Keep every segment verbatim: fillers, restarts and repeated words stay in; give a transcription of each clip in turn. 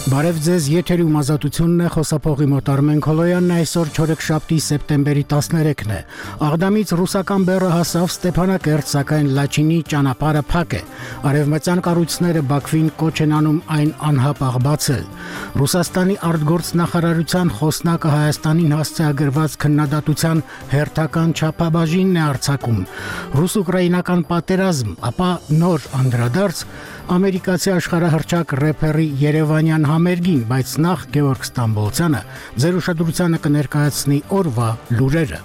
Բարև ձեզ, եթերում ազատությունն է, խոսափողի մոտ Արմեն Քոլոյանն, այսօր չորեքշաբթի սեպտեմբերի տասներեքն է։ Աղդամից ռուսական բեռը հասավ Ստեփանակերտ, սակայն Լաչինի ճանապարհը փակ է։ Արևմտյան կառույցները Բաքվին կոչ են անում այն անհապաղ բացել։ Ռուսաստանի արտգործնախարարության խոսնակը Հայաստանին հասցեագրված քննադատության հերթական չափաբաժինն է արձակում։ Ռուս-ուկրաինական պատերազմ, ապա նոր անդրադարձ ամերիկացի աշխարհահռչակ рэփերի Երևանյան համերգին, բայց նախ Գևորգ Ստամբոլցյանը ձեր ուշադրությանը կներկայացնի օրվա լուրերը։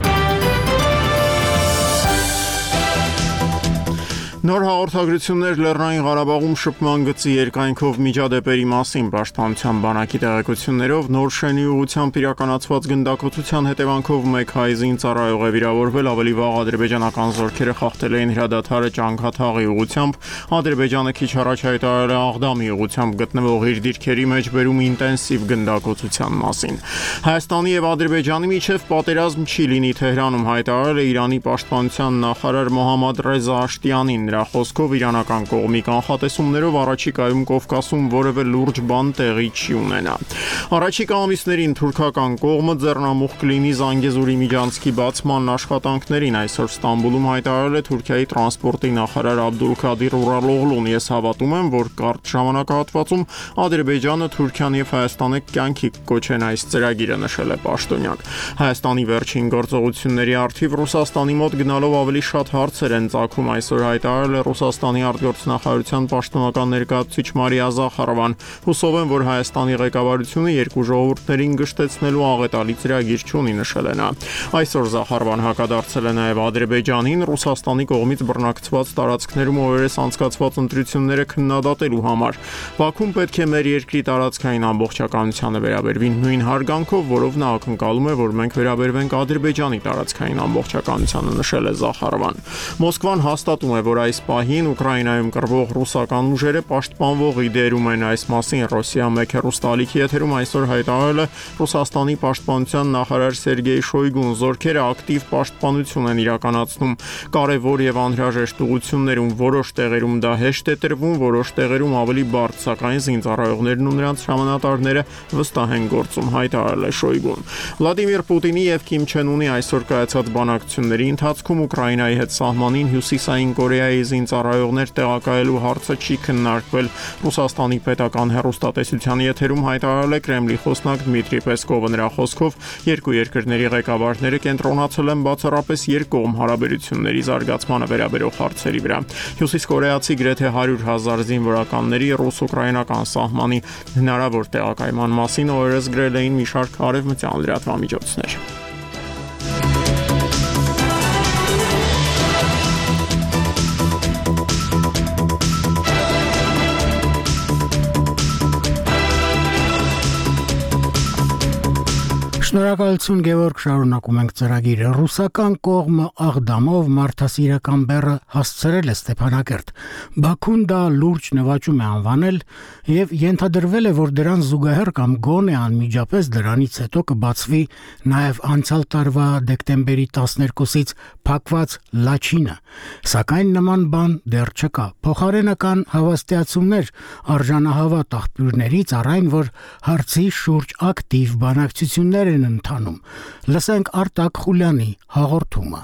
Նոր հաղորդագրություններ Լեռնային Ղարաբաղում շփման գծի երկայնքով միջադեպերի մասին Պաշտպանության բանակի տեղեկություններով նոր շենի ուղղությամբ իրականացված գնդակոծության հետևանքով մեկ հայ զինծառայող է վիրավորվել, ավելի վաղ ադրբեջանական զորքերը խախտել էին հրադադարը Ճանքաթաղի ուղղությամբ, Ադրբեջանը քիչ առաջ հայտարարել է Աղդամի ուղղությամբ գտնվող իր դիրքերի մեջ բերում ինտենսիվ գնդակոծության մասին։ Հայաստանի եւ Ադրբեջանի միջև պատերազմ չի լինի, Թեհրանում հայտարարել է Իրանի պաշտպանության նախարար Մոհամմադ Ռեզա Աշտյանին։ Նրա խոսքով իրանական կողմի կանխատեսումներով առաջիկայում Կովկասում որևէ լուրջ բան տեղի չի ունենա։ Առաջիկա ամիսներին թուրքական կողմը ձեռնամուխ կլինի Զանգեզուրի միջանցքի բացման աշխատանքներին, այսօր Ստամբուլում հայտարարել է Թուրքիայի տրանսպորտի նախարար Աբդուլքադիր Ուրալօղլուն։ Ես հավատում եմ, որ կարճ ժամանակահատվածում Ադրբեջանը, Թուրքիան եւ Հայաստանը կյանքի կոչեն այս ծրագիրը, նշել է պաշտոնյակ։ Հայաստանի վերջին գործողությունների առթիվ Ռուսաստանի մոտ գնալով ավելի շատ հարցեր են ծագում, այսօր հայտարարել Ռուսաստանի արտգործնախարարության պաշտոնական ներկայացուցիչ Մարիա Զախարովան։ Հուսով եմ, որ Հայաստանի ղեկավարությունը երկու ժողովուրդներին գշտեցնելու աղետալի ծրագիր չունի, նշել է նա։ Այսօր Զախարովան հակադարձել է նաև Ադրբեջանին Ռուսաստանի կողմից բռնակցված տարածքներում օրերս անցկացված ընտրությունները քննադատելու համար։ Բաքուն պետք է մեր երկրի տարածքային ամբողջականությանը վերաբերվի նույն հարգանքով, որով նա ակնկալում է, որ մենք վերաբերվենք Ադրբեջանի տարածքային ամբողջականությանը, նշել է Զախարովան։ Մոսկվան հաստատում է, որ այս պահին Ուկրաինայում կռվող ռուսական ուժերը պաշտպանվողի դերում են, այս մասին Ռոսիա մեկ հեռուստաալիքի եթերում այսօր հայտարարել է Ռուսաստանի պաշտպանության նախարար Սերգեյ Շոյգուն։ Զորքերը ակտիվ պաշտպանություն են իրականացնում կարևոր եւ անհրաժեշտ ուղղություններում, որոշ տեղերում դա հեշտ է տրվում, որոշ տեղերում ավելի բարդ, սակայն զինծառայողներն ու նրանց հրամանատարները վստահ են գործում, հայտարարել է Շոյգուն։ Վլադիմիր Պուտինի եւ Կիմ Չեն Ունի այսօր կայացած բանակցությունների ընթացքում Ուկրաինայի հետ սահմանին հյուսիսային Կորեայի զինծառայողներ տեղակայելու հարցը չի քննարկվել։ Ռուսաստանի պետական հեռուստատեսության եթերում հայտարարել է Կրեմլի խոսնակ Դմիտրի Պեսկովը։ Նրա խոսքով երկու երկրների ղեկավարները կենտրոնացել են բացառապես երկկողմ հարաբերությունների զարգացմանը վերաբերող հարցերի վրա։ Հյուսիսկորեացի գրեթե հարյուր հազար զինվորականների ռուս-ուկրաինական սահմանի հնարավոր տեղակայման մասին օրերս գրել էին մի շարք արևմտյան լրատվամիջոցներ։ Շնորհակալություն Գևորգ, շարունակում ենք ծրագիրը։ Ռուսական կողմը Աղդամով մարդասիրական բեռը հասցրել է Ստեփանակերտ։ Բաքուն դա լուրջ նվաճում է անվանել եւ ենթադրվել է, որ դրան զուգահեռ կամ գոնե անմիջապես դրանից հետո կբացվի նաեւ անցյալ տարվա դեկտեմբերի տասներկուսից փակված Լաչինը, սակայն նման բան դեռ չկա։ Փոխարենական հավաստիացումներ արժանահավատ աղբյուրներից առայն, որ հարցի շուրջ ակտիվ բանակցություններ են ընթանում։ Լսենք Արտակ Խուլյանի հաղորդումը։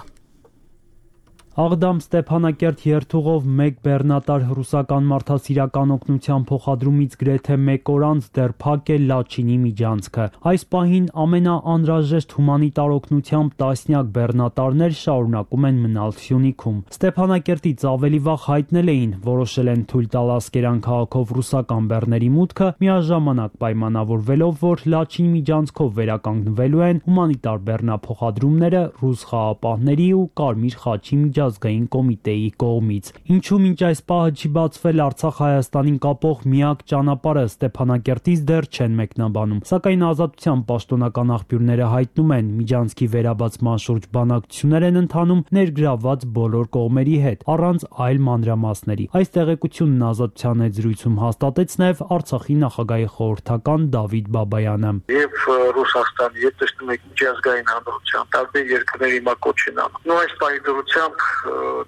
Աղդամ Ստեփանակերտ երթուղով մեկ բեռնատար ռուսական մարդասիրական օգնության փոխադրումից գրեթե մեկ օր անց դեռ փակ է Լաչինի միջանցքը։ Այս պահին ամենաանհրաժեշտ հումանիտար օգնությամբ տասնյակ բեռնատարներ շարունակում են մնալ Սյունիքում։ Ստեփանակերտից ավելի վաղ հայտնել էին, որոշել են թույլ տալ Ասկերան քաղաքով ռուսական բեռների մուտքը, միաժամանակ պայմանավորվելով, որ Լաչինի միջանցքով վերականգնվելու են հումանիտար բեռնափոխադրումները ռուս խաղապահների ու Կարմիր խաչի միջանցքով ազգային կոմիտեի կողմից։ Ինչու մինչ այս պահը չի բացվել Արցախ-Հայաստանին կապող միակ ճանապարհը Ստեփանակերտից դեռ չեն մեկնաբանում, սակայն Ազատության պաշտոնական աղբյուրները հայտնում են, միջանցքի վերաբացման շուրջ բանակցություններ են ընթանում ներգրավված բոլոր կողմերի հետ, առանց այլ մանրամասների։ Այս տեղեկությունն Ազատության հետ զրույցում հաստատեց նաև Արցախի նախագահի խորհրդական Դավիթ Բաբայանը։ Եվ Ռուսաստանի հետ տեսնում եք միջազգային հանրության տարբեր երկրների մակոչին անում։ Նույն այս պահի դրությամբ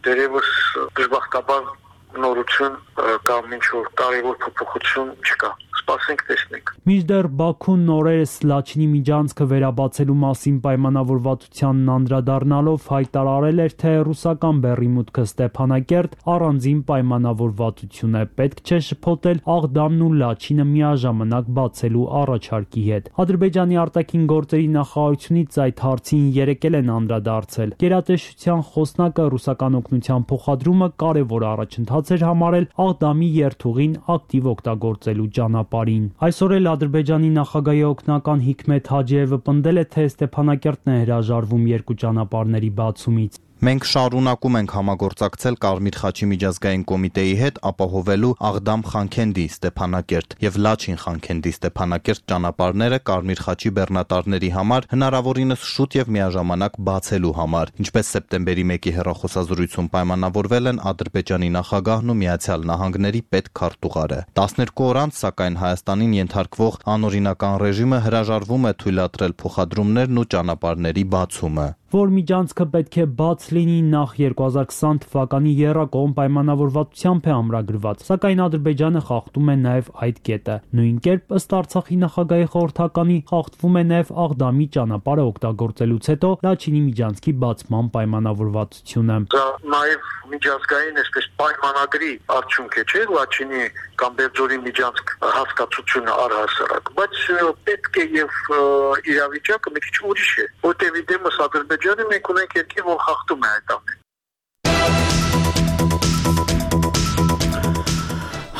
դերևս դժբախտաբար նորություն կամ ինչ-որ կարևոր փոփոխություն չկա։ սպասենք տեսնենք։ Մինչդեռ Բաքուն նորերս Լաչինի միջանցքը վերաբացելու մասին պայմանավորվածությանն անդրադառնալով հայտարարել էր, թե ռուսական բեռի մուտքը Ստեփանակերտ առանձին պայմանավորվածություն է, պետք չէ շփոթել Աղդամն ու Լաչինը միաժամանակ բացելու առաջարկի հետ։ Ադրբեջանի արտաքին գործերի նախարարությունից այդ հարցին երեկ էլ են անդրադարձել։ Գերատեսչության խոսնակը ռուսական օգնության փոխադրումը կարևոր առաջընթաց էր համարել Աղդամի երթուղին ակտիվ օգտագործելու ճանապարհին։ Այսօր էլ Ադրբեջանի նախագահի օգնական Հիկմետ Հաջիևը պնդել է, թե Ստեփանակերտն է հրաժարվում երկու ճանապարհների բացումից։ Մենք շարունակում ենք համագործակցել Կարմիր խաչի միջազգային կոմիտեի հետ ապահովելու Աղդամ-Խանքենդի Ստեփանակերտ եւ Լաչին-Խանքենդի Ստեփանակերտ ճանապարհները Կարմիր խաչի բեռնատարների համար հնարավորինս շուտ եւ միաժամանակ բացելու համար, ինչպես սեպտեմբերի մեկի հեռախոսազրույցում պայմանավորվել են Ադրբեջանի նախագահն ու Միացյալ Նահանգների պետքարտուղարը։ տասներկու օր անց, սակայն Հայաստանին ենթարկվող անօրինական ռեժիմը հրաժարվում է թույլատրել փոխադրումներն ու ճանապարհների բացումը։ Որ միջանցքը պետք է բաց լինի նախ երկու հազար քսան թվականի եռակողմ պայմանավորվածությամբ է ամրագրված, սակայն Ադրբեջանը խախտում է նաև այդ կետը։ Նույն կերպ ըստ Արցախի նախագահի խորհրդականի խախտվում է նաև Աղդամի ճանապարհը օգտագործելուց հետո Լաչինի միջանցքի բացման պայմանավորվածությունը։ Դա նաև միջազգային այսպես պայմանագրի արդյունք է, չէ՞, Լաչինի կամ Բերձորի միջանցք հասկացությունը առհասարակ, բայց պետք է եւ իրավիճակը մի քիչ ուրիշ է, որտեղ դեմս Ադրբեջանը մենք ունենք երկիր, որ խախտում է այդ ամենը։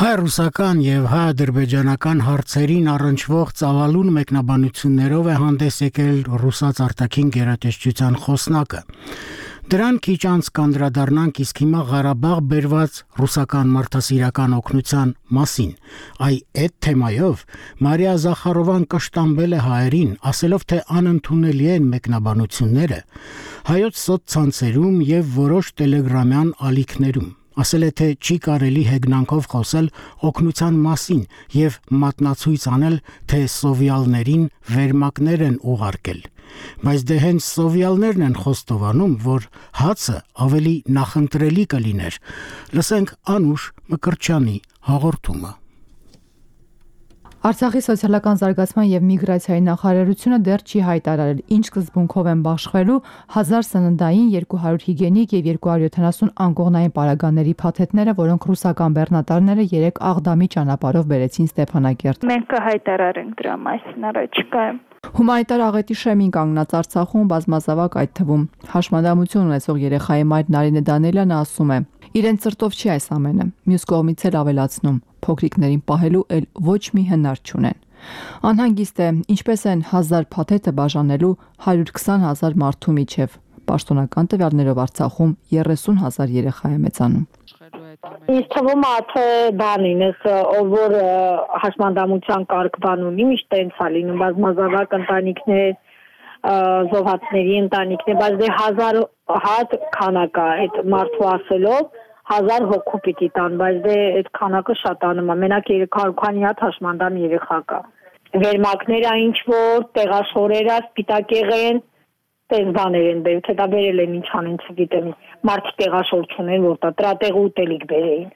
Հայ-ռուսական եւ հայ-ադրբեջանական հարցերին առնչվող ծավալուն մեկնաբանություններով է հանդես եկել ռուսաց արտաքին գերատեսչության խոսնակը։ Դրան քիչ անց կանդրադառնանք իսկ հիմա Ղարաբաղ բերված ռուսական մարդասիրական օգնության մասին։ Այ այդ թեմայով Մարիա Զախարովան կշտամբել է հայերին, ասելով, թե անընդունելի են մեկնաբանությունները հայոց սոցցանցերում եւ որոշ տելեգրամյան ալիքներում։ Ասել է, թե չի կարելի հեգնանքով խոսել օգնության մասին եւ մատնացույց անել, թե սովյալներին վերմակներ են ուղարկել։ Բայց դե հենց սովյալներն են խոստովանում, որ հացը ավելի նախընտրելի կլիներ։ Լսենք Անուշ Մկրտչյանի հաղորդումը։ Արցախի սոցիալական զարգացման եւ միգրացիայի նախարարությունը դեռ չի հայտարարել, ինչ սկզբունքով են բաշխվելու հազար սննդային, երկու հարյուր հիգիենիկ եւ երկու հարյուր յոթանասուն անկողնային պարագաների փաթեթները, որոնք ռուսական բեռնատարները երեք Աղդամի ճանապարհով բերեցին Ստեփանակերտ։ Մենք կհայտարարենք դրա մասին առաջիկայում։ Հումանիտար աղետի շեմին կանգնած Արցախում բազմազավակ, այդ թվում հաշմանդամություն ունեցող երեխայի մայր Նարինե Դանելյանը ասում է. իրեն ծրտով չի այս ամենը, մյուս կողմից էլ ավելացնում, փոքրիկներին պահելու էլ ոչ մի հնար չունեն։ Անհանգիստ է, ինչպես են հազար փաթեթը բաժանելու հարյուր քսան հազար մարդու միջև։ Պաշտոնական տվյալներով Արցախում երեսուն հազար երեխա է մեծանում։ Ինձ թվում է, թե բանին, ով որ հաշմանդամության կարգ բան ունի, միշտ տենց է լինում, բազմազավակ ընտանիքներ, զոհվածների ընտանիքներ, բայց դե հազար հատ քանակ է, այդ մարդու ասելով հազար հոգու պիտի տան, բայց դե այդ քանակը շատանում է, մենակ երեք հարյուր քանի հատ հաշմանդամ երեխա կա։ Վերմակները ինչ որ, տեղաշորերը, սպիտակեղեն, տես բաներ են բերել, թե դա բերել են ինչ անեն, չգիտեմ, մարդիկ տեղաշոր չունեն, որ դա տրատեղ ուտելիք բերեին։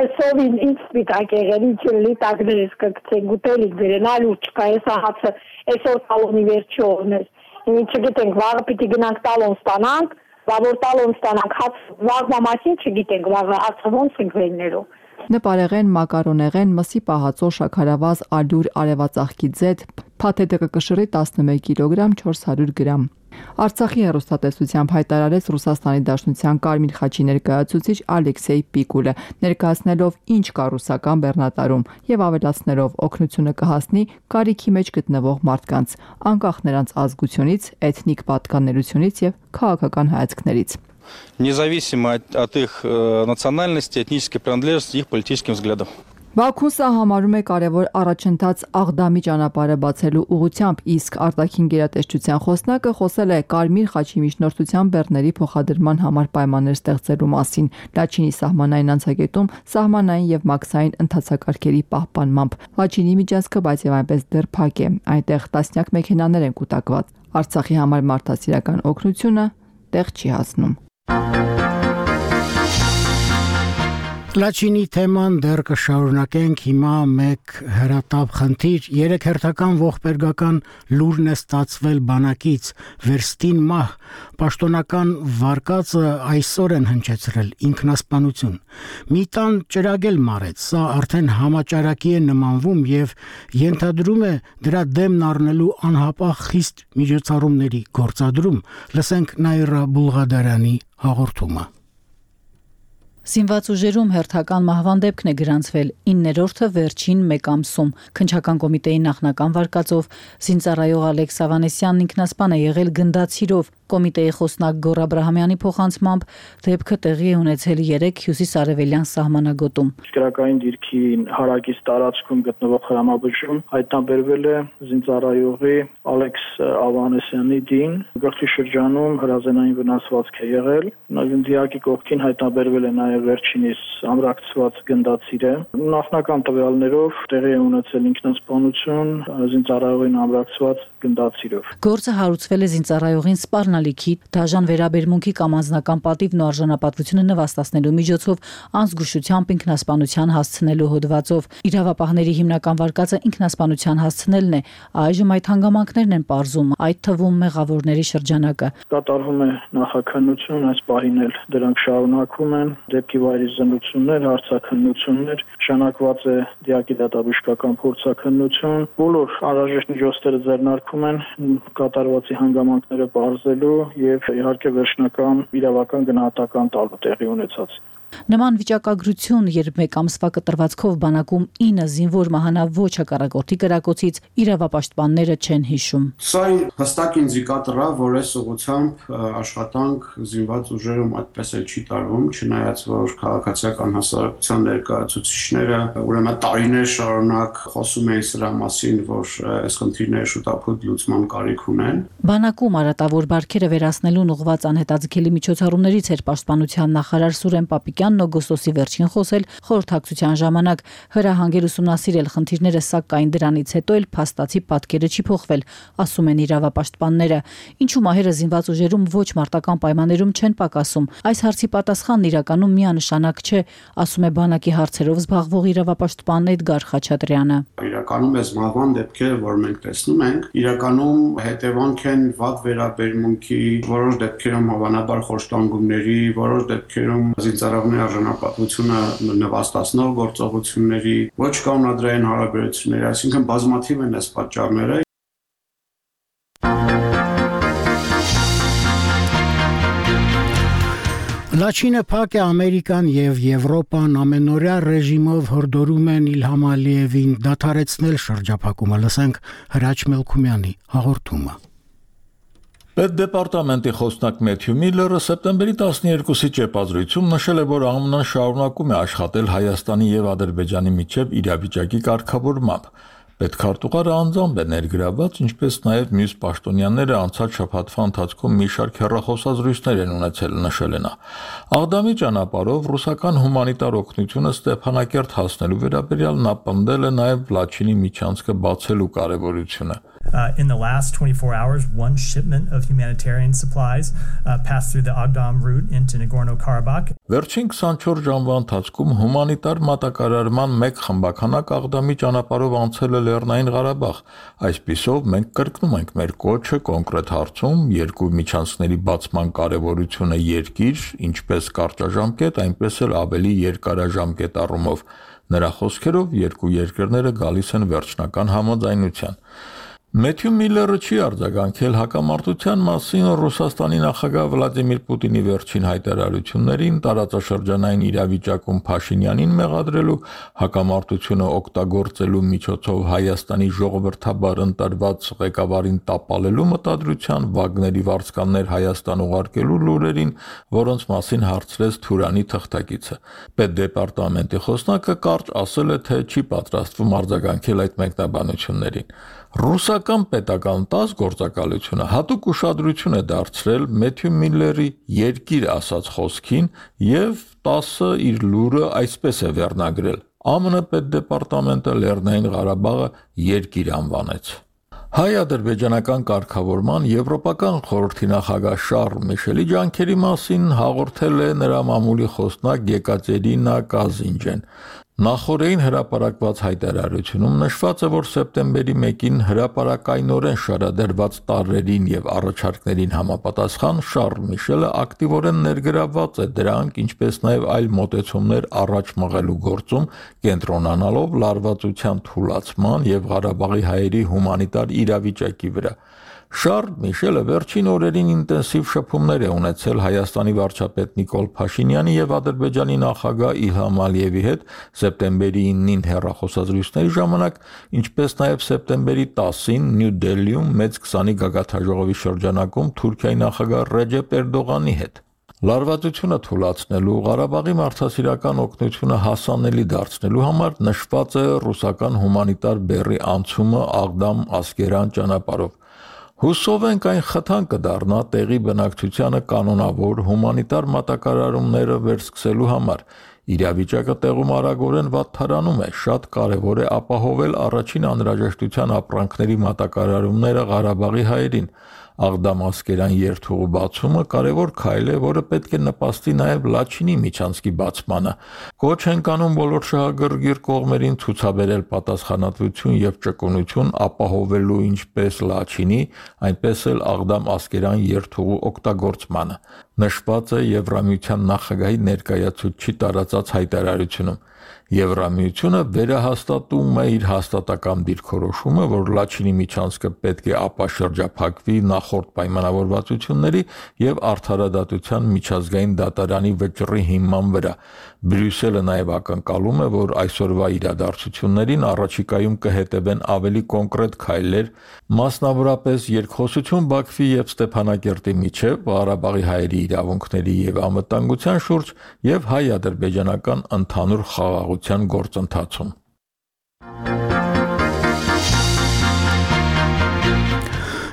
Այսով ինչ սպիտակեղեն, ինչ լիտակներ ես կգցեն, ուտելիք բերեն, այլ ուր չկա, այս հացը, այսօր տալոնի վերջի օրն էր, չգիտենք, վաղը պիտի գնանք տալոն ստանանք, որ տալոն ստանանք, հաց վաղվա մասին չգիտենք, վաղը հացը ոնց ենք վերներով։ Նպարեղեն, մակարոնեղեն, մսի պահածո, շաքարավազ, ալյուր, արևածաղկի ձեթ, փաթեթը կկշռի տասնմեկ կիլոգրամ, չորս հարյուր գրամ։ Արցախի հեռուստատեսությամբ հայտարարեց Ռուսաստանի Դաշնության Կարմիր խաչի ներկայացուցիչ Ալեքսեյ Պիկուլը, ներկայացնելով ինչ կա ռուսական բեռնատարում եւ ավելացնելով օգնությունը կհասնի կարիքի մեջ գտնվող մարդկանց, անկախ նրանց ազգությունից, էթնիկ պատկանելությունից եւ քաղաքական հայացքներից։ Независимо от их национальности, этнической принадлежности, их политическим взглядам. Բաքուն սա համարում է կարևոր առաջընթաց Աղդամի ճանապարհը բացելու ուղղությամբ, իսկ արտաքին գերատեսչության խոսնակը խոսել է Կարմիր խաչի միջնորդության բեռների փոխադրման համար պայմաններ ստեղծելու մասին Լաչինի սահմանային անցակետում սահմանային եւ մաքսային ընթացակարգերի պահպանմամբ։ Լաչինի միջանցքը բայց եւ այնպես դեռ փակ է, այնտեղ տասնյակ մեքենաներ են կուտակված։ Արցախի համար մարդասիրական օգնությունը տեղ չի հասնում։ Լաչինի թեման դեռ կշարունակենք, հիմա մեկ հրատապ խնդիր, երեք հերթական ողբերգական լուրն է ստացվել բանակից, վերստին մահ, պաշտոնական վարկածը այսօր են հնչեցրել, ինքնասպանություն, մի տան ճրագել մարեց, սա արդեն համաճարակի է նմանվում և ենթադրում է դրա դեմն առնելու անհապաղ խիստ միջոցառումների գործադրում, լսենք Նաիրա Բուլղադարյանի հաղորդումը։ Զինված ուժերում հերթական մահվան դեպքն է գրանցվել իններորդը վերջին մեկ ամսում։ Քննչական կոմիտեի նախնական վարկածով զինծառայող Ալեքս Ավանեսյանն ինքնասպան է եղել գնդացիրով։ Կոմիտեի խոսնակ Գոռ Աբրահամյանի փոխանցմամբ դեպքը տեղի է ունեցել երեք հյուսիսարևելյան սահմանագոտում։ Քրակային դիրքի հարակից տարածքում գտնվող հրամաբժում հայտնաբերվել է զինծառայողի Ալեքս Ավանեսյանի դին, գլխի շրջանում հրազենային վնասվածք է եղել։ Դիակի կողքին հայտնաբերվել է նաև վերջինիս ամրակցված գնդացիրը։ Նախնական տվյալներով տեղի է ունեցել ինքնասպանություն զինծառայողին ամրակցված գնդացիրով։ Գործը հարուցվել է զինծառայողին սպառնալիքի, դաժան վերաբերմունքի կամ անձնական պատիվն ու արժանապատվությունը նվաստացնելու միջոցով անզգուշությամբ ինքնասպանության հասցնելու հոդվածով։ Իրավապահների հիմնական վարկածը ինքնասպանության հասցնելն է, այժմ այդ հանգամանքներն են պարզում, այդ թվում մեղավորների շրջանակը։ Կատարվում է նախաքննություն, այս պահին էլ դրանք շարունակվում են, դեպքի վայրի զննություններ, հարցաքննություններ, նշանակված է դիակի դատաբժշկական փորձաքննություն, բոլոր անհրաժեշտ միջոցները ձեռնարկվում են կատարվածի հանգամանքները պարզելու եւ իհարկե վերջնական իրավական գնահատական տալու տեղի ունեցած։ Նման վիճակագրություն, երբ մեկ ամսվա կտրվածքով բանակում ինը զինվոր մահանավ ոչ հակառակորդի կրակոցից, իրավապաշտպանները չեն հիշում։ Սա հստակ ինդիկատոր է, որ այս ուղղությամբ աշխատանք զինված ուժերում այդպես էլ չի տարվում, չնայած որ քաղաքացիական հասարակության ներկայացուցիչները ուրեմն տարիներ շարունակ խոսում էին սրա մասին, որ այս խնդիրները շուտապույտ լուծման կարիք ունեն։ Բանակում արատավոր բարքերը վերացնելուն ուղղված անհետաձգելի միջոցառումներից էր պաշտպանության նախարար Սուրեն Պապիկյանն օգոստոսի վերջին խոսել խորհրդակցության ժամանակ, հրահանգել ուսումնասիրել խնդիրները, սակայն դրանից հետո էլ փաստացի պատկերը չի փոխվել, ասում են իրավապաշտպանները։ Ինչու մահերը զինված ուժերում ոչ մարտական պայմաններում չեն պակասում։ Այս հարցի պատասխանն իրականում միանշանակ չէ, ասում է բանակի հարցերով զբաղվող իրավապաշտպան Էդգար Խաչատրյանը։ Իրականում այս մահվան դեպքերը, որ մենք տեսնում ենք, իրականում հետևանք են վատ վերաբերմունքի, որոշ դեպքերում հավանաբար խոշտանգումների, որոշ դեպքերում զինծառայողների արժանապատվությունը նվաստացնող գործողությունների, ոչ կանոնադրային հարաբերությունների, այսինքն բազմաթիվ են այս պատճառները։ Լաչինը փակ է, Ամերիկան եւ Եվրոպան ամենօրյա ռեժիմով հորդորում են Իլհամ Ալիևին դադարեցնել շրջափակումը, լսենք Հրաչ Մելքումյանի հաղորդումը։ Պետդեպարտամենտի խոսնակ Մեթյու Միլլերը սեպտեմբերի տասներկուսի ճեպազրույցում նշել է, որ ԱՄՆ-ն շարունակում է աշխատել Հայաստանի եւ Ադրբեջանի միջև իրավիճակի կարգավորմամբ։ Պետքարտուղարը անձամբ է ներգրավված, ինչպես նաև մյուս պաշտոնյաները անցած շաբաթվա ընթացքում մի շարք հեռախոսազրույցներ են ունեցել, նշել է նա։ Աղդամի ճանապարհով ռուսական հումանիտար օգնությունը Ստեփանակերտ հասնելու վերաբերյալ նա պնդել է նաև Լաչինի միջանցքը բացելու կարևորությունը։ Uh, in the last twenty-four hours, one shipment of humanitarian supplies uh, passed through the Agdam route into Nagorno-Karabakh. Վերջին քսանչորս ժամվա ընթացքում հումանիտար մատակարարման մեկ խմբականակ Աղդամի ճանապարհով անցել է Լեռնային Ղարաբաղ։ Այսպիսով մենք կրկնում ենք մեր կոչը կոնկրետ հարցում երկու միջանցքների բացման կարևորությունը երկիր, ինչպես կարճաժամկետ, այնպես էլ ավելի երկարաժամկետ առումով։ Նրա խոսքերով երկու երկրները գալիս են վերջնական համաձայնության։ Մեթյու Միլլերը չի արձագանքել հակամարտության մասին Ռուսաստանի նախագահ Վլադիմիր Պուտինի վերջին հայտարարություններին, տարածաշրջանային իրավիճակում Փաշինյանին մեղադրելու, հակամարտությունը օգտագործելու միջոցով Հայաստանի ժողովրդաբար ընտրված ղեկավարին տապալելու մտադրության, Վագների վարձկաններ Հայաստան ուղարկելու լուրերին, որոնց մասին հարցրեց Թուրանի թղթակիցը։ Պետդեպարտամենտի խոսնակը կարճ ասել է, թե չի պատրաստվում արձագանքել այդ մեկնաբանություններին։ Ռուսական պետական տաս գործակալությունը հատուկ ուշադրություն է դարձրել Մեթյու Միլլերի երկիր ասած խոսքին եւ տասը իր լուրը այսպես է վերնագրել. ԱՄՆ պետդեպարտամենտը Լեռնային Ղարաբաղը երկիր անվանեց։ Հայ-ադրբեջանական կարգավորման Եվրոպական խորհրդի նախագահ Շարլ Միշելի ջանքերի մասին հաղորդել է նրա մամուլի խոսնակ Եկատերինա Կազինջեն։ Նախորդին հրապարակված հայտարարությունում նշված է, որ սեպտեմբերի մեկին հրապարակայնորեն շարադրված տարրերին եւ առաջարկներին համապատասխան Շարլ Միշելը ակտիվորեն ներգրավված է դրանք, ինչպես նաեւ այլ մոտեցումներ առաջ մղելու գործում, կենտրոնանալով լարվածության թուլացման եւ Ղարաբաղի հայերի հումանիտար իրավիճակի վրա։ Շարլ Միշելը վերջին օրերին ինտենսիվ շփումներ է ունեցել Հայաստանի վարչապետ Նիկոլ Փաշինյանի եւ Ադրբեջանի նախագահ Իլհամ Ալիևի հետ սեպտեմբերի ինին հեռախոսազրույցների ժամանակ, ինչպես նաեւ սեպտեմբերի տասին Նյու Դելիում մեծ քսանի գագաթաժողովի շրջանակում Թուրքիայի նախագահ Ռեջեփ Էրդողանի հետ։ Լարվածությունը թուլացնելու, Ղարաբաղի մարդասիրական օգնությունը հասանելի դարձնելու համար նշված է ռուսական հումանիտար բեռի անցումը Աղդամ-Ասկերան ճանապարհով։ Հուսով ենք այն խթան կդառնա տեղի բնակչությանը կանոնավոր հումանիտար մատակարարումները վերսկսելու համար։ Իրավիճակը տեղում արագորեն վատթարանում է, շատ կարևոր է ապահովել առաջին անհրաժեշտության ապրանքների մատակարարումները Ղարաբաղի հայերին։ Աղդամ-Ասկերան երթուղու բացումը կարևոր քայլ է, որը պետք է նպաստի նաև Լաչինի միջանցքի բացմանը։ Կոչ ենք անում բոլոր շահագրգիռ կողմերին ցուցաբերել պատասխանատվություն եւ ճկունություն ապահովելու ինչպես Լաչինի, այնպես էլ Աղդամ-Ասկերան երթուղու օգտագործմանը։ Նշված է Եվրամիության նախագահի ներկայացուցչի տարածած հայտարարությունում։ Եվրամիությունը վերահաստատում է իր հաստատակամ դիրքորոշումը, որ Լաչինի միջանցքը պետք է ապաշրջափակվի նախորդ պայմանավորվածությունների եւ արդարադատության միջազգային դատարանի վճռի հիման վրա։ Բրյուսելը նաեւ ակնկալում է, որ այսօրվա իրադարձություններին առաջիկայում կհետևեն ավելի կոնկրետ քայլեր, մասնավորապես երկխոսություն Բաքվի եւ Ստեփանակերտի միջեւ Ղարաբաղի հայերի իրավունքների եւ անվտանգության շուրջ եւ հայ-ադրբեջանական ընդհանուր խաղաղության գործընթացում։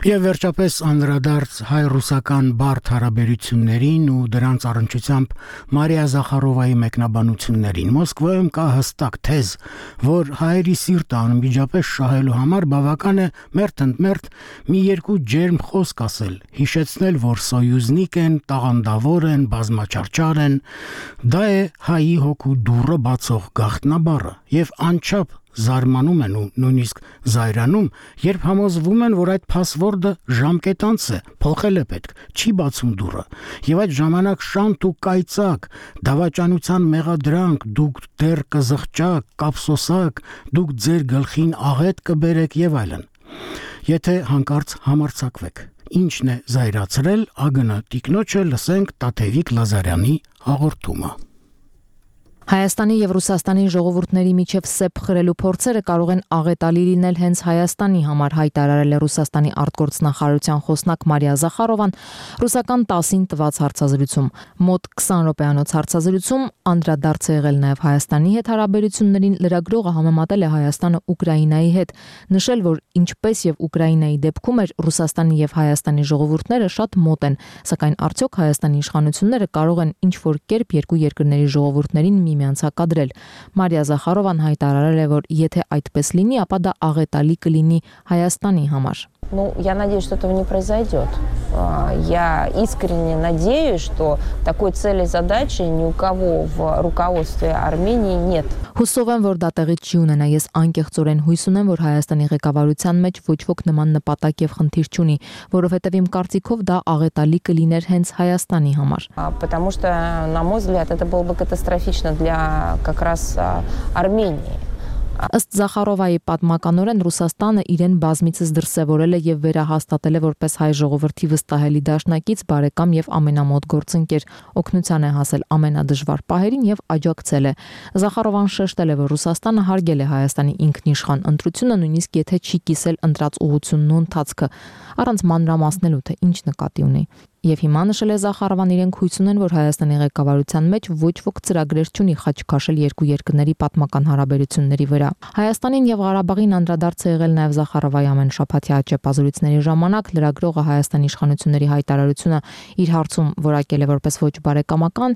Եվ վերջապես անդրադարձ հայ-ռուսական բարդ հարաբերություններին ու դրանց առնչությամբ Մարիա Զախարովայի մեկնաբանություններին։ Մոսկվայում կա հստակ թեզ, որ հայերի սիրտը անմիջապես շահելու համար բավական է մերթ-ընդմերթ մի երկու ջերմ խոսք ասել, հիշեցնել, որ սոյուզնիկ են, տաղանդավոր են, բազմաչարչար են։ Դա է հայի հոգու դուռը բացող գաղտնաբառը եւ անչափ զարմանում են ու նույնիսկ զայրանում, երբ համոզվում են, որ այդ փասվորդը ժամկետանց է, փոխել է պետք, չի բացում դուռը, եւ այդ ժամանակ շանտ ու կայծակ, դավաճանության մեղադրանք, դուք դեռ կզղճակ, կապսոսակ, դուք ձեր գլխին աղետ կբերեք եւ այլն։ Եթե հանկարծ համարձակվեք, ինչն է զայրացրել, ագնա տիկնոջը լսենք Տաթևիկ Լազարյանի հաղորդումը։ Հայաստանի եւ Ռուսաստանի ժողովուրդների միջև սեպ խրելու փորձերը կարող են աղետալի լինել հենց Հայաստանի համար, հայտարարել է Ռուսաստանի արտգործնախարարության խոսնակ Մարիա Զախարովան ռուսական տասին տված հարցազրույցում։ Մոտ քսան րոպեանոց հարցազրույցում անդրադարձ է եղել նաեւ Հայաստանի հետ հարաբերություններին, լրագրողը համեմատել է Հայաստանը Ուկրաինայի հետ, նշել, որ ինչպես եւ Ուկրաինայի դեպքում էր Ռուսաստանի եւ Հայաստանի ժողովուրդները շատ մոտ են, սակայն արդյոք Հայաստանի իշխանությունները կարող են ինչ որ կերպ երկու երկրների ժողովուրդներին միմյանց հակադրել։ Մարիա Զախարովան հայտարարել է, որ եթե այդպես լինի, ապա դա աղետալի կլինի Հայաստանի համար։ Ну, я надеюсь, что этого не произойдет. Я искренне надеюсь, что такой цели и задачи ни у кого в руководстве Армении нет. Հուսով եմ, որ դա տեղի չի ունենա։ Ես անկեղծորեն հույս ունեմ, որ Հայաստանի ղեկավարության մեջ ոչ ոք նման նպատակ եւ խնդիր չունի, որովհետեւ իմ կարծիքով դա աղետալի կլիներ հենց Հայաստանի համար։ Потому что, на мой взгляд, это было бы катастрофично для как раз Армении. Ըստ Զախարովայի պատմականորեն Ռուսաստանը իրեն բազմիցս դրսևորել է եւ վերահաստատել է որպես հայ ժողովրդի վստահելի դաշնակից, բարեկամ եւ ամենամոտ գործընկեր, օգնության է հասել ամենադժվար պահերին եւ աջակցել է։ Զախարովան շեշտել է, որ Ռուսաստանը հարգել է Հայաստանի ինքնիշխան ընտրությունը, նույնիսկ եթե չի կիսել ընտրած ուղղությունն ու ընթացքը, առանց մանրամասնելու, թե ինչ նկատի ունի։ Եվ հիմա նշել է Զախարովան, իրենք հույս ունեն, որ Հայաստանի ղեկավարության մեջ ոչ ոք ծրագրեր չունի խաչքաշել երկու երկրների պատմական հարաբերությունների վրա։ Հայաստանին եւ Ղարաբաղին անդրադարձ է եղել նաեւ Զախարովայի ամենաշաբաթյա ճեպազրույցների ժամանակ։ Լրագրողը Հայաստանի իշխանությունների հայտարարությունը իր հարցում որակել է որպես ոչ բարեկամական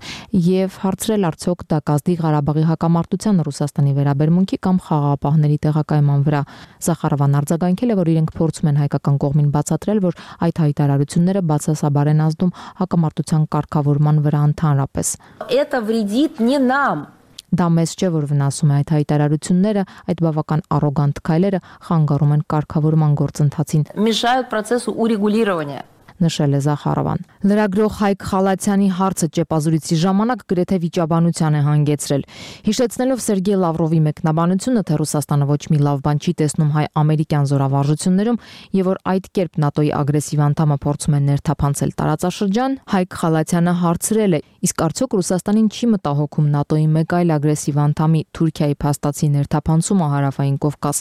եւ հարցրել արդյոք դա կազդի Ղարաբաղի հակամարտության Ռուսաստանի վերաբերմունքի կամ խաղաղապահների տեղակայման վրա։ Զախարովան արձագանքել է, որ իրենք փորձում են հայկական կողմին բացատրել, որ այդ հայտարարությունները բացասաբար են ազդում հակամարտության կարգավորման վրա ընդհանրապես։ Это вредит не нам. Դա մեզ չէ, որ վնասում է այդ հայտարարությունները, այդ բավական առոգանտ քայլերը խանգարում են կարգավորման գործընթացին։ Мешают процессу урегулирования. Նշել է Զախարովան։ Լրագրող Հայկ Խալաթյանի հարցը ճեպազրույցի ժամանակ գրեթե վիճաբանության է հանգեցրել։ Հիշեցնելով Սերգեյ Լավրովի մեկնաբանությունը, թե Ռուսաստանը ոչ մի լավ բան չի տեսնում հայ-ամերիկյան զորավարժություններում եւ որ այդ կերպ ՆԱՏՕ-ի ագրեսիվ անդամը փորձում է ներթափանցել տարածաշրջան, Հայկ Խալաթյանը հարցրել է. իսկ արդյոք Ռուսաստանին չի մտահոգում ՆԱՏՕ-ի մեկ այլ ագրեսիվ անդամի Թուրքիայի փաստացի ներթափանցումը հարավային Կովկաս,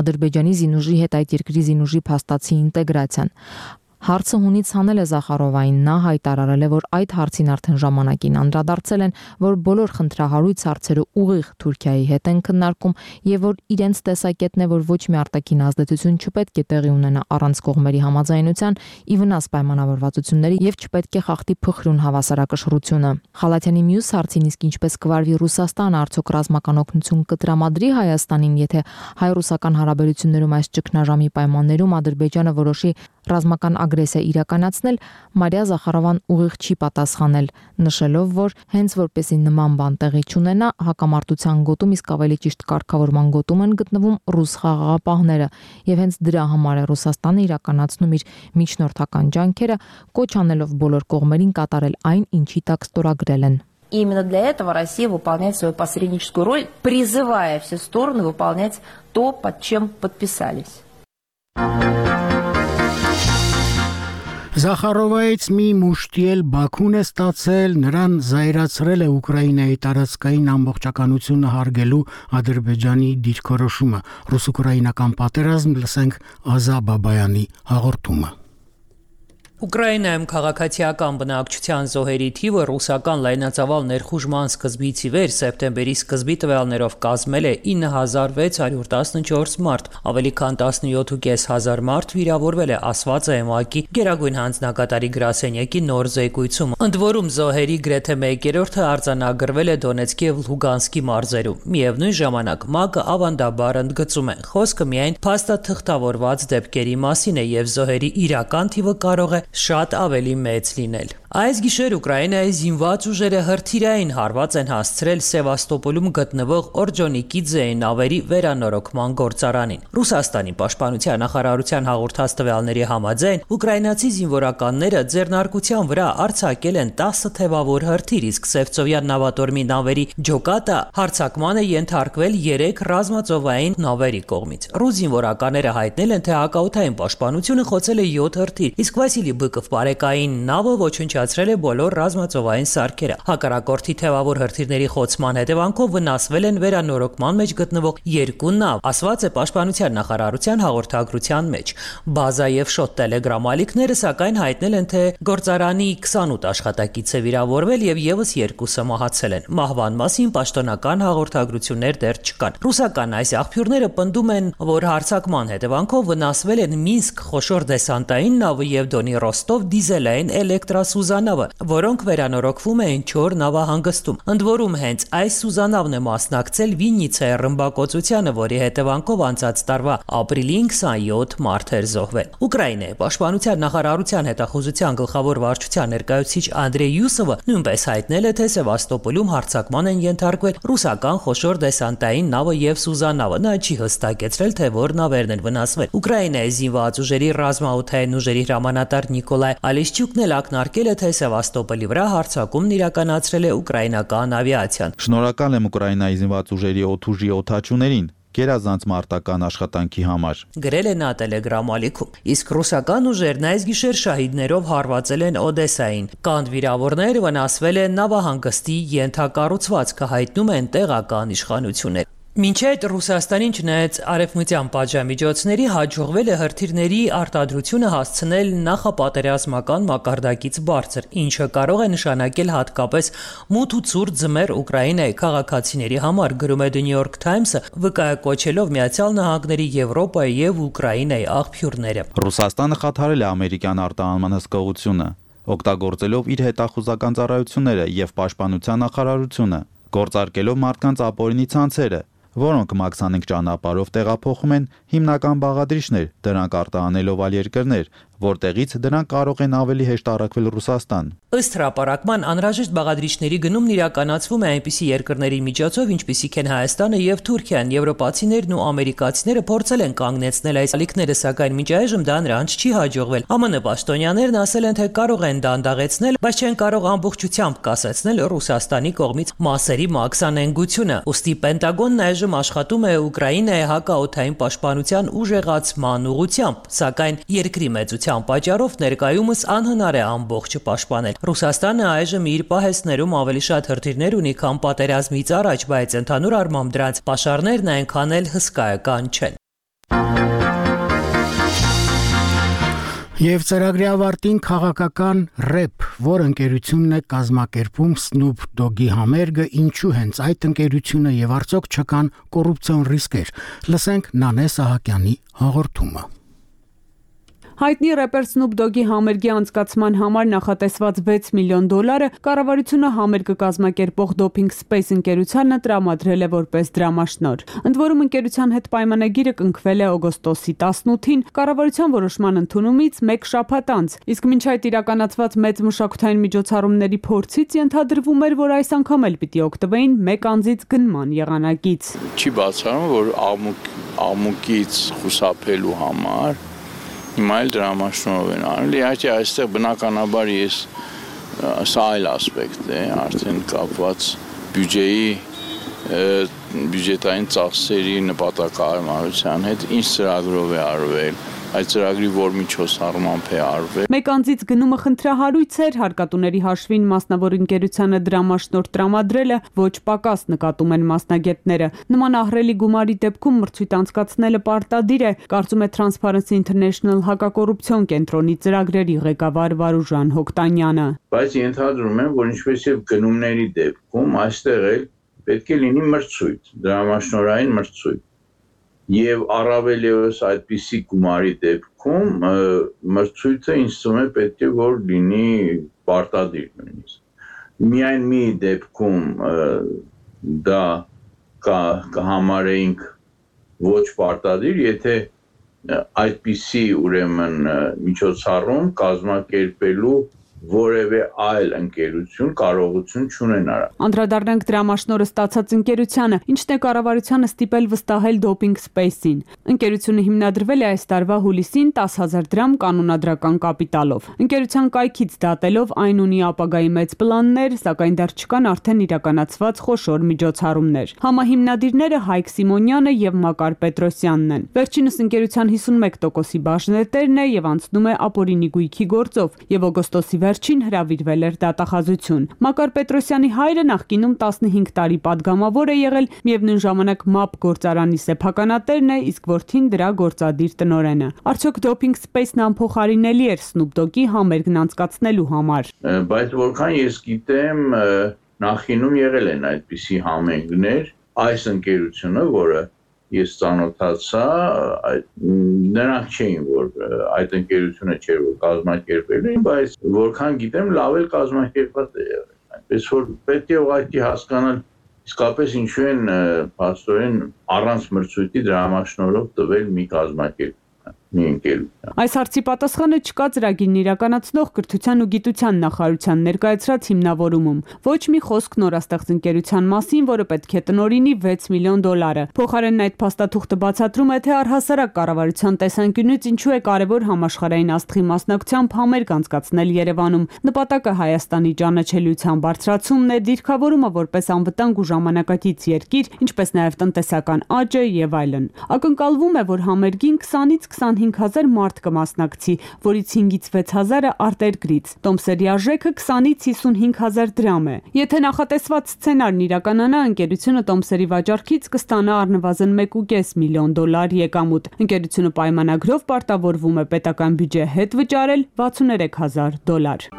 Ադրբեջանի զինուժի հետ այդ երկրի զինուժի փաստացի ինտեգրացիան։ Հարցը հունից հանել է Զախարովային, նա հայտարարել է, որ այդ հարցին արդեն ժամանակին անդրադարձել են, որ բոլոր խնդրահարույց հարցերը ուղիղ Թուրքիայի հետ են քննարկում եւ որ իրենց տեսակետն է, որ ոչ մի արտաքին ազդեցություն չպետք է տեղի ունենա առանց կողմերի համաձայնության, ի վնաս պայմանավորվածությունների եւ չպետք է խախտի փխրուն հավասարակշռությունը։ Խալաթյանի մյուս հարցին, իսկ ինչպես կվարվի Ռուսաստանը, արդյոք ռազմական օգնություն կտրամադրի Հայաստանին, եթե հայ-ռուսական հարաբերություններում այս ճգնաժամի պայմաններում Ադրբեջանը որոշի ռազմական ագրեսիա իրականացնել, Մարիա Զախարովան ուղիղ չի պատասխանել, նշելով, որ հենց որպեսզի նման բան տեղի չունենա, հակամարտության գոտում, իսկ ավելի ճիշտ կարգավորման գոտում են գտնվում ռուս խաղաղապահները, եւ հենց դրա համար է Ռուսաստանը իրականացնում իր միջնորդական ջանքերը, կոչ անելով բոլոր կողմերին կատարել այն, ինչի տակ ստորագրել են։ И именно для этого Россия выполняет свою посредническую роль, призывая все стороны выполнять то, под чем подписались. Զախարովայից մի մուշտի էլ Բաքուն է ստացել, նրան զայրացրել է Ուկրաինայի տարածքային ամբողջականությունը հարգելու Ադրբեջանի դիրքորոշումը։ Ռուս-ուկրաինական պատերազմ, լսենք Ազա Բաբայանի հաղորդումը։ Ուկրաինայում քաղաքացիական բնակչության զոհերի թիվը ռուսական լայնածավալ ներխուժման սկզբից ի վեր սեպտեմբերի սկզբի տվյալներով կազմել է ինը հազար վեց հարյուր տասնչորս մարդ, ավելի քան տասնյոթ հազար պինսյոթ մարդ վիրավորվել է, ասված է ԵՄԱԿ-ի Գերագույն հանձնակատարի գրասենյակի նոր զեկույցում։ Ընդ որում զոհերի գրեթե մեկերորդը արձանագրվել է Դոնեցկի եւ Լուգանսկի մարզերում։ Միևնույն ժամանակ ՄԱԿ-ը ավանդաբար ընդգծում է, խոսքը միայն փաստաթղթավորված դեպքերի մասին է եւ զոհերի իրական թիվը կարող է շատ ավելի մեծ լինել։ Այս գիշեր Ուկրաինայի զինված ուժերը հրթիռային հարված են հասցրել Սևաստոպոլում գտնվող Օրջոնիկիձեի նավերի վերանորոգման գործարանին։ Ռուսաստանի պաշտպանության նախարարության հաղորդած տվյալների համաձայն ուկրաինացի զինվորականները ձեռնարկության վրա արձակել են տասը թևավոր հրթիռ, իսկ Սևծովյան նավատորմի նավերի ջոկատը հարձակման է ենթարկվել երեք ռազմածովային նավերի կողմից։ Ռուս զինվորականները հայտնել են, թե հակաօդային պաշտպանությունը խոցել է յոթ հրթիռ, իսկ Վասիլի Բыков բարեկային նավը ոչնչացրել է բոլոր ռազմածովային սարքերը։ Հակառակորդի թևավոր հրթիռների խոցման հետևանքով վնասվել են վերանորոգման մեջ գտնվող երկու նավ, ասված է պաշտպանության նախարարության հաղորդագրության մեջ։ Բազա եւ Շոտ Տելեգրամ ալիքները սակայն հայտնել են, թե գործարանի քսանութ աշխատակից է վիրավորվել եւ եւս երկուսը մահացել են։ Մահվան մասին պաշտոնական հաղորդագրություններ դեռ չկան։ Ռուսական այս աղբյուրները պնդում են, որ հարձակման հետևանքով վնասվել են Մինսկ խոշոր դեսանտային նավը եւ Դոնի Ռոստով դիզելային էլեկտրասուզանավը, որոնք վերանորոգվում էին Չոր նավահանգստում։ Ընդ որում հենց այս սուզանավն է մասնակցել Վիննիցայի ռմբակոծությանը, որի հետևանքով անցած տարվա ապրիլին քսանյոթ մարդ էր զոհվել։ Ուկրաինայի պաշտպանության նախարարության հետախուզության գլխավոր վարչության ներկայացուցիչ Անդրեյ Յուսովը նույնպես հայտնել է, թե Սևաստոպոլում հարձակման են ենթարկվել ռուսական խոշոր դեսանտային նավը եւ սուզանավը։ Նա չի հստակեցրել, թե որ նավերն են վնասվել։ Ուկրաինայի զինված ուժերի ռազմաօդային ուժերի հրամանատար Նիկոլայ Ալեշչյուկն էլ ակնարկել է, թե Սևաստոպոլի վրա հարձակումն իրականացրել է ուկրաինական ավիացիան։ Շնորհակալ եմ Ուկրաինայի զինված ուժերի օդուժի օդաչուներին գերազանց մարտական աշխատանքի համար։ Գրել է նա Տելեգրամ ալիքում։ Իսկ ռուսական ուժերն այս գիշեր շահիդներով հարվածել են Օդեսային։ Կանդ վիրավորներ վնասվել են նավահանգստի ենթակառուցվածքը, հայտնում են տեղական իշխանություններ։ Մինչ այդ Ռուսաստանին չնայած արևմտյան պատժամիջոցների հաջողվել է հրթիռների արտադրությունը հասցնել նախապատերազմական մակարդակից բարձր, ինչը կարող է նշանակել հատկապես մութ ու ցուրտ ձմեռ Ուկրաինայի քաղաքացիների համար, գրում է The New York Times-ը, վկայակոչելով Միացյալ Նահանգների, Եվրոպայի եւ Ուկրաինայի աղբյուրները։ Ռուսաստանը խաթարել է ամերիկյան արտահանման հսկողությունը, օգտագործելով իր հետախուզական ծառայությունները եւ պաշտպանության նախարարությունը, գործարկելով մարդկանց ապօրինի ցանցերը, որոնք մաքսանենկ ճանապարհով տեղափոխում են հիմնական բաղադրիչներ, դրանք արտահանելով այլ երկրներ, որտեղից դրանք կարող են ավելի հեշտ առաքվել Ռուսաստան։ Ըստ հրապարակման, անհրաժեշտ բաղադրիչների գնումն իրականացվում է այնպիսի երկրների միջոցով, ինչպիսիք են Հայաստանը եւ Թուրքիան։ Եվրոպացիներն ու ամերիկացիները փորձել են կանգնեցնել այս ալիքները, սակայն մինչ այժմ դա նրանց չի հաջողվել։ ԱՄՆ պաշտոնյաներն ասել են, թե կարող են դանդաղեցնել, բայց չեն կարող ամբողջությամբ կասեցնել Ռուսաստանի կողմից մասերի մաքսանենգությունը։ Ոստի Պենտագոնն այժմ աշխատում է Ուկրաինայի հակաօդային պաշտպանության ուժեղացման ուղղությամբ, սակայն երկրի մեծության պատճառով ներկայումս անհնար է ամբողջը պաշտպանել։ Ռուսաստանը այժմ իր պահեստներում ավելի շատ հրթիռներ ունի, քան պատերազմից առաջ, բայց ընդհանուր առմամբ դրանց պաշարներն այնքան էլ հսկայական չեն։ Եվ ծրագրի ավարտին քաղաքական ռեփ, որ ընկերությունն է կազմակերպում Snoop Dogg-ի համերգը, ինչու հենց այդ ընկերությունը եւ արդյոք չկան կոռուպցիոն ռիսկեր։ Լսենք Նանե Սահակյանի հաղորդումը։ Հայտնի рэպեր Snoop Dogg-ի համերգի անցկացման համար նախատեսված վեց միլիոն դոլարը կառավարությունը համերգը կազմակերպող Doping Space ընկերությանը տրամադրել է որպես դրամաշնոր։ Ընդ որում ընկերության հետ պայմանագիրը կնքվել է օգոստոսի տասնութին կառավարության որոշման ընդունումից մեկ շաբաթ անց, իսկ մինչ այդ իրականացված մեծ մշակութային միջոցառումների փորձից ենթադրվում էր, որ այս անգամ էլ պիտի օգտվեին մեկ անձից գնման եղանակից։ Չի բացառում, որ աղմուկ աղմուկից խուսափելու համար հիմա էլ դրամաշնորհ են արել։ Իհարկե այստեղ բնականաբար ես սա այլ ասպեկտ է, արդեն կապված բյուջեի բյուջետային ծախսերի նպատակահարմարության հետ, ինչ ծրագրով է արվել, այդ ծրագրի որ միջոցառմամբ է արվել։ Մեկ անձից գնումը խնդրահարույց էր, հարկատուների հաշվին մասնավոր ընկերությանը դրամաշնորհ տրամադրելը ոչ պակաս նկատում են մասնագետները։ Նման ահռելի գումարի դեպքում մրցույթ անցկացնելը պարտադիր է, կարծում է Transparency International հակակոռուպցիոն կենտրոնի ծրագրերի ղեկավար Վարուժան Հոկտանյանը։ Բայց ենթադրում եմ, որ ինչպես եւ գնումների դեպքում այստեղ էլ պետք է լինի մրցույթ, դրամաշնորհային մրցույթ։ Եվ առավել ևս այդպիսի գումարի դեպքում մրցույթը ինձ թվում է պետք է որ լինի պարտադիր նույնիսկ։ Միայն մի դեպքում դա կհամարեինք ոչ պարտադիր, եթե այդպիսի ուրեմն միջոցառում կազմակերպելու որևէ այլ ընկերություն կարողություն չունենա։ Անդրադառնանք դրամաշնորհը ստացած ընկերությանը, ինչն է կառավարությանը ստիպել վստահել Doping Space-ին։ Ընկերությունը հիմնադրվել է այս տարվա հուլիսին տասը հազար դրամ կանոնադրական կապիտալով։ Ընկերության կայքից դատելով այն ունի ապագայի մեծ պլաններ, սակայն դեռ չկան արդեն իրականացված խոշոր միջոցառումներ։ Համահիմնադիրները Հայկ Սիմոնյանը եւ Մակար Պետրոսյանն են։ Վերջինս ընկերության հիսունմեկ տոկոսի բաժնետերն է եւ անցնում է ապօրինի գույքի գործով եւ օգոստոսի վերջին հրավիրվել էր դատախազություն։ Մակար Պետրոսյանի հայրը նախկինում տասնհինգ տարի падգամավոր է եղել, միևնույն ժամանակ ՄԱՊ գործարանի սեփականատերն է, իսկ որդին դրա գործադիր տնօրենը։ Արդյոք Doping Space-ն անփոխարինելի էր Snoop Dogg-ի համերգն անցկացնելու համար։ Բայց որքան ես գիտեմ, նախինում եղել են այդպիսի համերգներ, այս ընկերությունը, որը ես ծանոթացա, նրանք չէին, որ այդ ընկերությունը չէր, որ կազմակերպել էին, բայց որքան գիտեմ, լավ էլ կազմակերպված է եղել։ Այնպես որ պետք է ուղղակի հասկանալ, իսկապես ինչու են փաստորեն առանց մրցույթի դրամաշնորհով տվել մի կազմակերպ մի ընկերություն։ Այս հարցի պատասխանը չկա ծրագիրն իրականացնող կրթության ու գիտության նախարարության ներկայացրած հիմնավորումում։ Ոչ մի խոսք նորաստեղծ ընկերության մասին, որը պետք է տնօրինի վեց միլիոն դոլարը։ Փոխարենն այդ փաստաթուղթը բացատրում է, թե առհասարակ կառավարության տեսանկյունից ինչու է կարևոր համաշխարհային աստղի մասնակցությամբ համերգ անցկացնել Երևանում։ Նպատակը Հայաստանի ճանաչելիության բարձրացումն է, դիրքավորումը որպես անվտանգ ու ժամանակակից երկիր, ինչպես նաև տնտեսական աճը եւ այլն։ Ակնկալվում է, որ համերգին քսանից քսանհինգ հիսունհինգ հազար մարդ կմասնակցի, որից հինգից վեց հազարը արտերկրից։ Տոմսերի արժեքը քսանից հիսունհինգ հազար դրամ է։ Եթե նախատեսված սցենարն իրականանա, ընկերությունը տոմսերի վաճառքից կստանա առնվազն մեկ ու կես միլիոն դոլար եկամուտ։ Ընկերությունը պայմանագրով պարտավորվում է պետական բյուջե հետ վճարել վաթսուններեք հազար դոլար։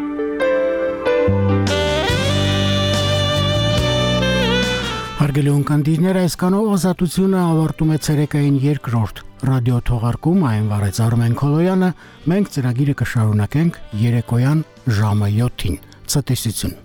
Հարգելի ունկնդիրներ, այսքանով ազատությունը ավարտում է ցերեկային երկրորդ ռադիո թողարկում, այն վարեց Արմեն Քոլոյանը, մենք ծրագիրը կշարունակենք երեկոյան ժամը յոթին։ Ցտեսություն։